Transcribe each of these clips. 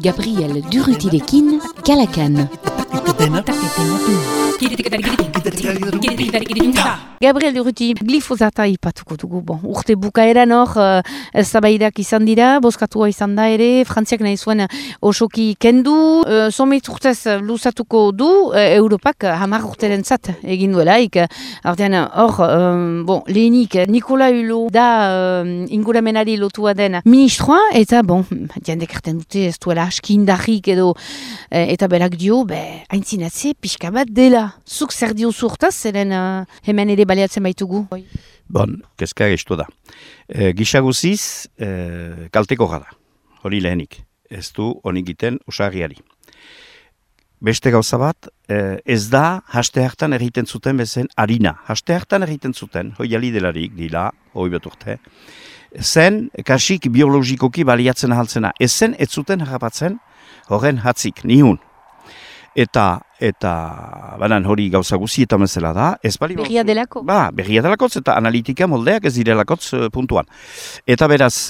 Gabriel Durrutirekin, Kalakan. Gabriel Durruti, glifosata ipatuko dugu. Bon, urte bukaeran hor, eztabaidak izan dira, bozkatua izan da ere, Frantziak nahi zuen osoki kendu, somit urtez luzatuko du, Europak 10 urteren zat egin duelaik. Artean hor, lehenik, Nikola Hulot da inguramenari lotua den ministroa, eta jendek erten dute ez duela aski indarrik edo, eta berak dio, haintzinatze pixka bat dela. Zuk zer dio zurtaz, zeren hemen ere baliatzen baitugu? Kezka gestu da. Gisa guziz, kalteko gara, hori lehenik. Ez du honik egiten osarriari. Beste gauza bat, ez da haste hartan egiten zuten bezen harina. Haste hartan egiten zuten, hoi alidelarik dila, hoi bat urte, zen kasik biologikoki baliatzen ahaltzena. Ezen ez zuten harrapatzen horren hatzik, nihun. Eta banan hori gauza guzietan bezala da. Berria delako? Berria delakotz eta analitika moldeak ez direlakotz puntuan. Eta beraz,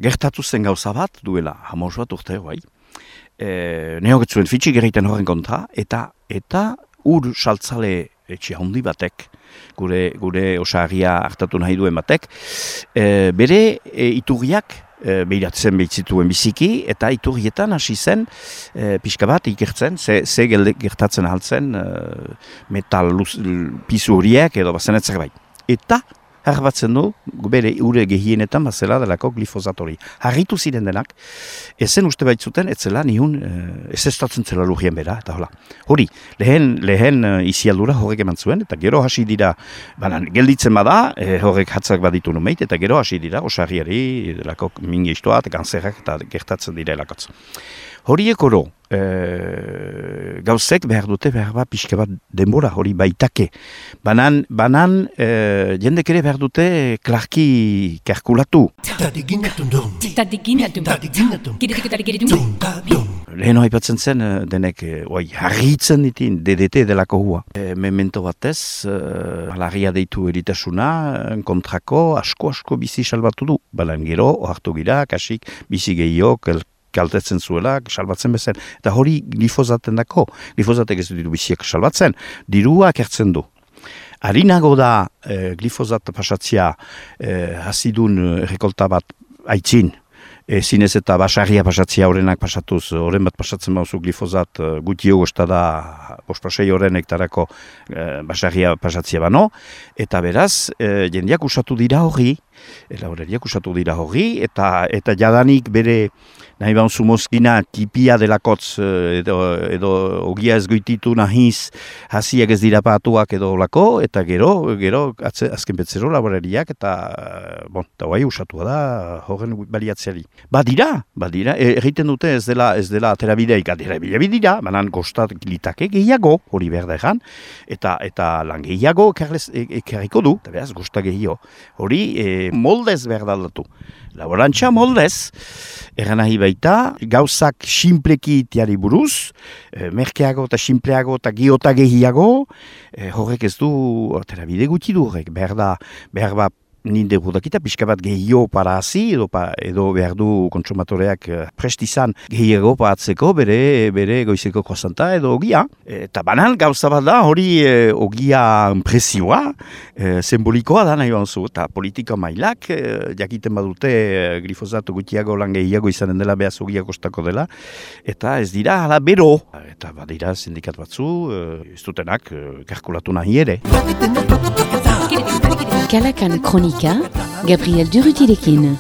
gertatu zen gauza bat, duela, hamos bat urte, neogetzuen fitxik egiten horren kontra, eta ur saltzale etxe handi batek, gure osarria hartatu nahi duen batek, bere iturriak, behiratzen behitzituen biziki, eta iturrietan hasi zen pixka bat ikertzen, ze gertatzen ahaltzen metal pizu horiek edo bazen etzerbait. Eta harbatzen du, bere ure gehienetan bazela delako glifosatori. Harritu ziren denak, ezen uste baitzuten, etzela nihun, ez estatzen zela lurien bera, eta hola. Hori, lehen izialdura horrek eman zuen, eta gero hasi dira, gelditzen bada, horrek hatzak baditu numeit, eta gero hasi dira, osarriari, delako mingeistoa, eta kanzerrak, eta gertatzen dira elakotz. Horiek oro, gauzek behar dute behar bat pixka bat denbora hori baitake. Banan jendek ere behar dute klarki kalkulatu. Lehen haipatzen zen denek harritzen ditin DDT delako hua. Memento batez, alarria deitu eritasuna, kontrako asko bizi salbatu du. Balan gero, ohartu gira, kasik bizi gehiok, kaltetzen zuela, salbatzen bezen. Eta hori glifosaten dako. Glifosatek ez diru biziak salbatzen. Dirua kertzen du. Harinago da glifosat pasatzia hasidun rekolta bat aitzin. Zinez eta basarria pasatzia horrenak pasatuz, horren bat pasatzen bauzu glifosat gutio gostada bospasei horren hektarako basarria pasatzia bano. Eta beraz, jendeak usatu dira hori, eta jadanik bere nahi bauzu mozkina tipia delakotz edo ogia ez goititu nahiz hasiak ez dira patuak edo lako, eta gero azken betzero laborariak eta guai usatua da horren baliatzeari. Badira, egiten dute ez dela aterabideik, aterabideak dira, banan kostat litake gehiago, hori behar da egan, eta lan gehiago ekarriko du, eta behaz, kostat gehiago. Hori moldez behar daldatu. Laborantza moldez, eran nahi baita, gauzak sinpleki tiari buruz, merkeago eta sinpleago eta giota gehiago, horrek ez du, aterabide gutxi du horrek, behar da, ninde gudakita, pixka bat gehiago para hazi, edo behar du kontsumatoreak prestizan gehiago paatzeko bere goizeko krosanta edo ogia. Eta banan gauza bat da, hori ogia presioa, simbolikoa da nahi banzu, eta politika mailak, jakiten badute glifosatu gutxiago lan gehiago izanen dela, behaz ogia kostako dela, eta ez dira hala bero. Eta badira sindikat batzu, ez dutenak kalkulatu nahi ere. Kalakan Kronika, Gabriel Durrutirekin.